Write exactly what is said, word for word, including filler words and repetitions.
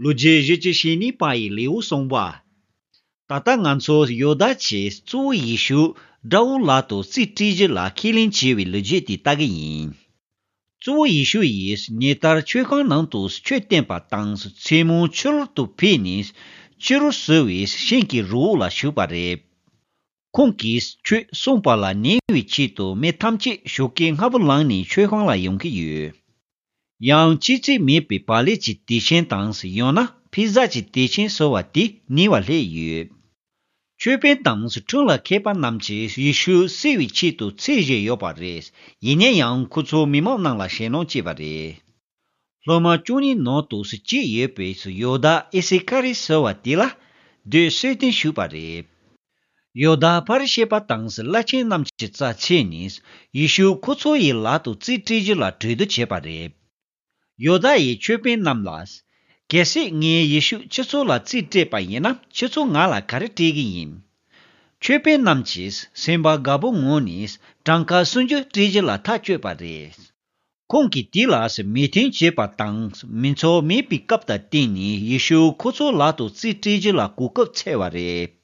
ལོ་རྒྱུས་བཞི་བཅུ་ཞེ་གཉིས་པ་ཡི་ལེའུ་གསུངས་པ། ད་ལྟ་ང་ཚོ་ཡོ་དཱ་ཆེས་གཙོ་བོ་ཡེ་ཤུ་དགྲ་བོ་ལག་ཏུ་རྩིས་སྤྲད་རྒྱུ་ལ་ཁས་ལེན་བྱས་པའི་ལོ་རྒྱུས་དེ་ལྟ་གི་ཡིན། གཙོ་བོ་ཡེ་ཤུ་ཡིས་ཉེ་ལྟར་མཆོད་ཁང་ནང་དུ་ཆོས་བསྟན་པ་དང་མཚན་མོ་ཕྱི་རོལ་དུ་ཕེབས་ནས་ཕྱི་རུ་བསུ་བའི་ཤིང་གི་རི་བོ་ལ་བཞུགས་པ་རེད། ཁོང་གིས་ཆོས་གསུངས་པ་ལ་ཉན་པའི་ཆེད་དུ་མི་ཐམས་ཅད་ཞོགས་ཀས་སྔ་པོ་ལངས་ནས་མཆོད་ཁང་ལ་ཡོང་གི་ཡོད། ཡང་ལྕི་ཚད་མེད་པའི་བག་ལེབ་ཀྱི་དུས་ཆེན་དང་ཡང་ན་ཕི་ཟ་གྱི་དུས་ཆེན་ཟེར་བ་དེ་ཉེ་བར་སླེབས་ཡོད། ཆོས་དཔོན་དང་ཁྲིམས་ལ་མཁས་པ་རྣམས་ཀྱིས་ཡེ་ཤུ་བསུ་བའི་ཆེད་དུ་ཚེས་བཞེས་ཡོད་པ་རེད། ཡིན་ན་ཡང་ཁོ་ཚོ་མི་མང་རྣམས་ལ་ཞེད་སྣང་སྐྱེས་པ་རེད། སློབ་མ་བཅུ་གཉིས་ནང་དུ་གཅིག་ཡོད་པའི་ཡོ་དཱ་ཨི་སི་ཀ་རི་ཟེར་བ་དེ་ལ་སྡོད་གསོལ་སྟོན་ཞུས་པ་རེད། ཡོ་དཱ་ཕ་རི་ཤི་པ་དང་བླ་ཆེན་རྣམས་ཀྱི་རྩ་ཆེ་ནས་ཡེ་ཤུ་ཁོ་ཚོ་ཡི་ལག་ཏུ་རྩིས་སྤྲད་རྒྱུ་ལ་གྲོས་བསྡུར་བྱས་པ་རེད། ཡོ་དཱ་ཡི་ཆོས་དཔོན་རྣམས་ལ། གལ་སྲིད་ངས་ཡེ་ཤུ་ཁྱེད་ཚོ་ལ་རྩིས་སྤྲད་པ་ཡིན་ན་ཁྱེད་ཚོ་ང་ལ་ག་རེ་སྤྲད་ཀྱི་ཡིན། ཆོས་དཔོན་རྣམས་ཀྱིས་སེམས་པ་དགའ་པོ་ངང་ནས་གྲངས་ཀ་སུམ་ཅུ་སྤྲད་རྒྱུ་ལ་ཐག་གཅོད་པ་རེད། ཁོང་གིས་དེ་ལ་མོས་མཐུན་བྱས་པ་དང་མི་ཚོགས་མེད་པའི་སྐབས་དང་བསྟུན་ནས་ཡེ་ཤུ་ཁོ་ཚོ་ལག་ཏུ་རྩིས་སྤྲད་རྒྱུ་ལ་གོ་སྐབས་འཚོལ་བ་རེད།